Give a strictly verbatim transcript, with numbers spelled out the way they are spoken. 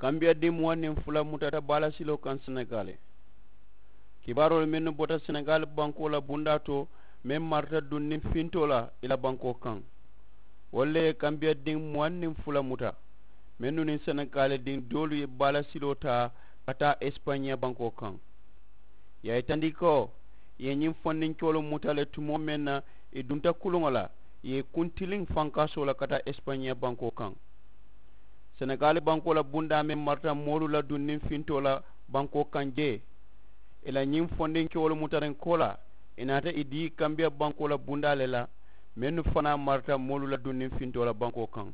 Kambiya diŋ muwaŋ niŋ fula mutata baala siloo kaŋ senegaali. Kibaaroolu mennu bota senegaali bankoo la bundaa to meŋ marata duŋ niŋ fintoo la i la bankoo kaŋ. Wolu le ye kambiya diŋ muwaŋ niŋ fula muta mennu niŋ senegaali diŋ doolu ye baala siloo taa ka taa esipañiya bankoo kaŋ. Ì ye a yitandi ko ì ye ñiŋ fondinkeelu muta le tumoo meŋ na ì dunta kuluŋo la ì ye ì kuntiliŋ fankaasoo la ka taa esipañiya bankoo kaŋ. Senegaali bankoo la bundaa meŋ marata moolu la dunniŋ fintoo la bankoo kaŋ jee ì la ñiŋ fondinkewolu mutariŋ koolaa ì naata ì dii kambiya bankoo la bundaa le la mennu fanaa marata moolu la dunniŋ fintoo la bankoo kaŋ.